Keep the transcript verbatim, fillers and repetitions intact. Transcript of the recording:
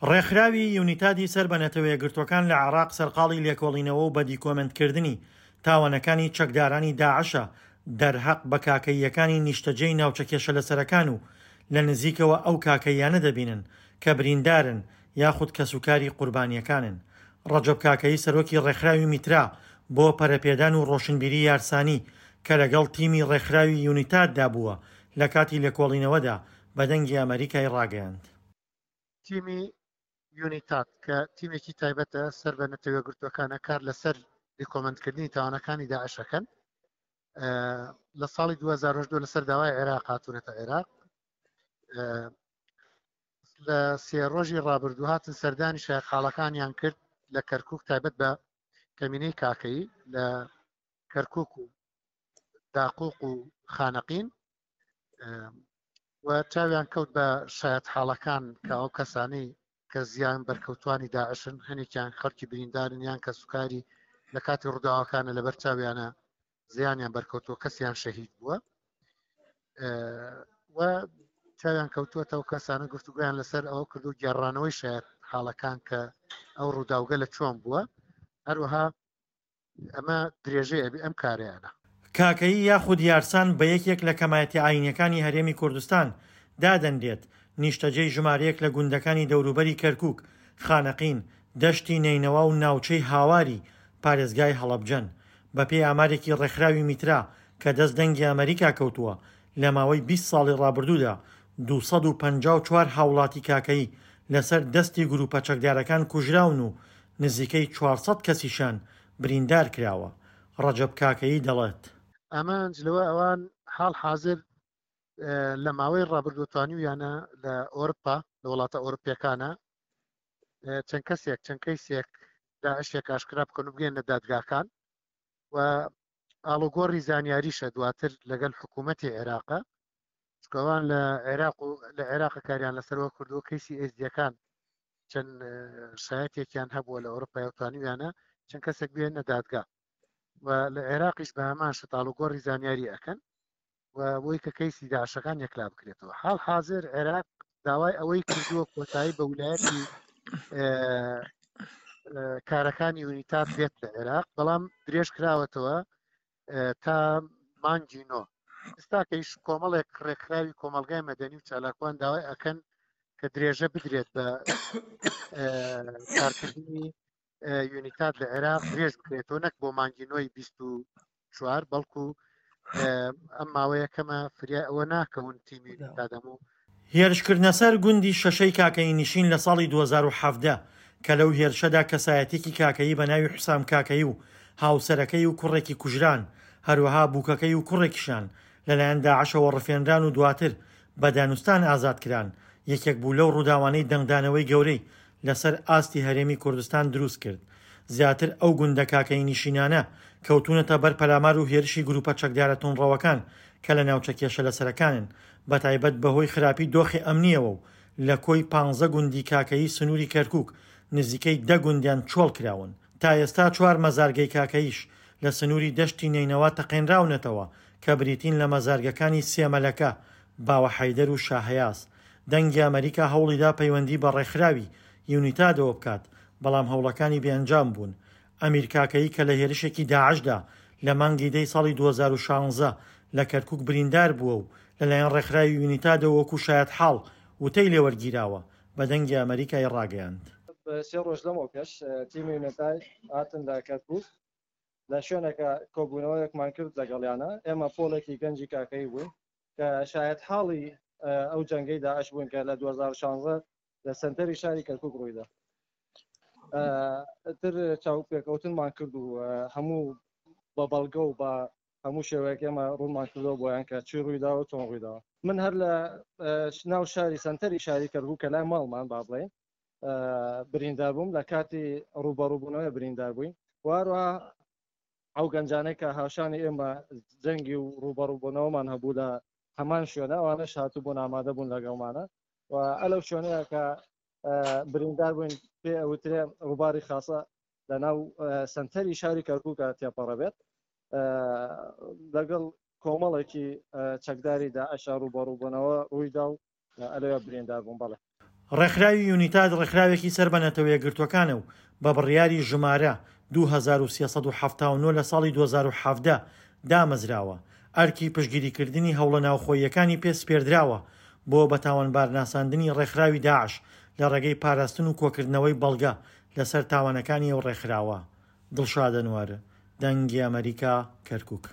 ڕێکخراوی یونیتادی سەر بە نەتەوەیەکگرتووەکان لە عێراق سەرقاڵی لێکۆڵینەوە و بە دیکۆمێنتکردنی تاوانەکانی چەکدارانی داعشە دەرهەق بە کاکەییەکانی نیشتەجێی ناوچە کێشەلەسەرەکان و لە نزیکەوە ئەو کاکەییانە دەبینن کە بریندارن یاخود کەسوکاری قوربانییەکانن. ڕەجەب کاکەیی سەرۆکی ڕێکخراوی میترا بۆ پەرەپێدان و ڕۆشنبیری یارسانی کە لەگەڵ تیمی ڕێکخراوی یونیتاددا بووە لە کاتی لێکۆڵینەوەدا بە دەنگی ئەمەریکای ڕاگەیاند. تیمی یونیتاد کە تیمێکی تایبەتە سەر بە نەتەوەیەکگرتووەکانە کار لەسەر دیکۆمێنتکردنی تاوانەکانی داعش ئەکەن. لە ساڵی دوو هەزار و هەژدە لەسەر داوای عێراق هاتوونەتە عێراق. لە سێ ڕۆژی ڕابردوو هاتن سەردانی شایەتحاڵەکانیان کرد لە کەرکوک، تایبەت بە کەمینەی کاکەیی لە کەرکوک و داقوق و خانەقین، و چاویان کەوت بە شایەتحاڵەکان کە ئەو کەسانەی کە زیان بەرکەوتوانی داعشن، هەنێکیان خەڵکی بریندارن یان کەسوکاری لە کاتی ڕووداوەکانە لەبەر چاویانە زیانیان بەرکەوتووە، کەسیان شەهید بووە و چاویان کەوتووەتەوە کەسانە گفتوگویان لەسەر ئەوە کردو گێڕانەوەی شایەت حاڵەکان کە ئەو ڕووداوگە لە چۆن بووە. هەروەها ئەمە درێژەی ئەبی ئەم کارەیانە. کاکەیی یاخود یارسان بە یەکێک لە کەمایەتی ئاینیەکانی هەرێمی کوردستان دادەنرێت، نیشتەجێی ژمارەیەک لە گوندەکانی دەوروبەری کەرکوک، خانەقین، دەشتی نەینەوا و ناوچەی هاواری پارێزگای هەڵەبجەن. بەپێی ئامارێکی ڕێکخراوی میترا کە دەست دەنگی ئەمەریکا کەوتووە، لە ماوەی بیست ساڵی ڕابردوودا دوو سەد و پەنجا و چوار هاوڵاتی کاکەیی لەسەر دەستی گروپە چەکدارەکان کوژراون و نزیکەی چوار سەد کەسیشیان بریندار کراوە. ڕەجەب کاکەیی دەڵێت. ئامانج لەوە ئەوان حاڵ حاضر لە ماوەی ڕابردوو توانیویانە لە ئەوروپا، لە وڵاتە ئەوروپیەکانە چەند کەسێک، چەند کەیسێک داعشێک ئاشکرا بکەن و بگەینە دادگاکان و ئاڵوگۆڕی زانیاریشە دواتر لەگەڵ حکوومەتی عێراقە، چکەوان لە عێراق و لە عێراق کاریان لەسەرەوە کردووە. کەیسی ئێزدیەکان چەند شایەتێکیان هەبووە لە ئەوروپا و توانیویانە چەند کەسێک بێنە دادگا و لە عێراقیش بە هەمان شت ئاڵوگۆڕی زانیاری ئەکەن و بۆی کە کەیسی داعشەکان یەکلا بکرێتەوە. حاڵ حاضر عێراق داوای ئەوەی کردووە کۆتایی بە ولایەتی کارەکانی یونیتاد بێت لە عێراق، بەڵام درێژ کراوەتەوە تا مانگی نۆ. ئێستاکەیش کۆمەڵێک ڕێکخراوی کۆمەلگای مەدەنی و چالاکوان داوای ئەکەن کە درێژە بدرێت بە کارکردنی یونیتاد لە عێراق درێژ بکرێتەوە، نەک بۆ مانگی نۆی بیست و چوار، بەڵکو ئەم ماوەیە کەمە فریای ئەوە ناکەون تیمی یونیتاد هەموو. هێرشکردنە سەر گوندی شەشەی کاکەیی نشین لە ساڵی دوو هەزار و حەڤدە کە لەو هێرشەدا کەسایەتێکی کاکەیی بە ناوی حوسام کاکەیی و هاوسەرەکەی و کوڕێکی کوژران، هەروەها بووکەکەی و کوڕێکیشان لەلایەن داعشەوە ڕفێنران و دواتر بە دانوستان ئازاد کران، یەکێک بوو لەو ڕووداوانەی دەنگدانەوەی گەورەی لەسەر ئاستی هەرێمی کوردستان دروست کرد. زیاتر ئەو گوندە کاکەیی نشینانە کەوتونەتە بەر پەلامار و هێرشی گروپە چەکدارە توندڕەوەکان کە لە ناوچە کێشە لەسەرەکانن، بەتایبەت بەهۆی خراپی دۆخی ئەمنیەوە و لە کۆی پانزە گوندی کاکەیی سنووری کەرکوک نزیکەی دە گوندیان چۆڵ کراون. تا ئێستا چوار مەزارگەی کاکەییش لە سنووری دەشتی نەینەوا تەقێنراونەتەوە کە بریتین لە مەزارگەکانی سێمەلەکە، باوە حەیدەر و شاهەیاز. دەنگی ئەمەریکا هەوڵیدا پەیوەندی بە ڕێکخراوی یونیتادەوە بکات، بەڵام هەوڵەکانی بێئەنجام بوون. ئەمیر کاکەیی کە لە هێرشێکی داعشدا لە مانگی دەی ساڵی دوو هەزار و شازدە لە کەرکوک بریندار بووە و لەلایەن ڕێکخراوی یونیتادەوە وەکو شایەتحاڵ وتەی لێوەرگیراوە، بە دەنگی ئەمەریکای ڕاگەیاند. سێ ڕۆژ لەمەو پێش تیمی یونیتاد هاتن لە کەرکوک، لە شوێنێکە کۆبوونەوەیەکمان کرد لەگەڵیانە. ئێمە پۆلێکی گەنجی کاکەیی بووین کە شایەتحاڵی ئەو جەنگەی داعش بووین کە لە دوو هەزار و شازدە لە سەنتەری شاری کەرکوک ڕوویدا. تر چاوپێکەوتنمان کرد و هەموو بە بەڵگە و بە هەموو شێوەیەک ئێمە ڕوونمان کردەوە بۆیان کە چی ڕوویداوە چۆن ڕوویداوە. من هەر لە ناو شاری سەنتەری شاری کەرکوک کە لای ماڵمان با بڵێین بریندار بووم، لە کاتی ڕووبەڕووبوونەوەی بریندار بووین. واروها ئەو گەنجانەی کە هاوشانی ئێمە جەنگی و ڕووبەڕووبوونەوەمان هەبوو لە هەمان شوێنە، ئەوانەش هاتوو بوون ئامادە بوون لەگەڵمانە. و ئەلەو شوێنەیە کە بریندار بووین پێ ئەوترێ ڕووباری خاصە لە ناو سەنتەری شاری کەرکووکە تێپەڕە بێت، لەگەڵ کۆمەڵێکی چەکداری داعشا ڕووبەڕووبوونەوە ڕوویدا و ئەلەوێ بریندار بوون. بەڵێ. ڕێکخراوی یونیتاد ڕێکخراوێکی سەر بە نەتەوە یەکگرتووەکانە و بە بڕیاری ژمارە دوو هەزار و سێ سەد و حەفتا و نۆ لە ساڵی دوو هەزار و حەڤدە دامەزراوە، ئەرکی پشتگیریکردنی هەوڵە ناوخۆییەکانی پێ سپێردراوە بۆ بە تاوانبارناساندنی ڕێکخراوی داعش لە ڕێگەی پاراستن و کۆکردنەوەی بەڵگە لەسەر تاوانەکانی ئەو ڕێکخراوە. دڵشاد ئەنوەر، دەنگی ئەمەریکا، کەرکوک.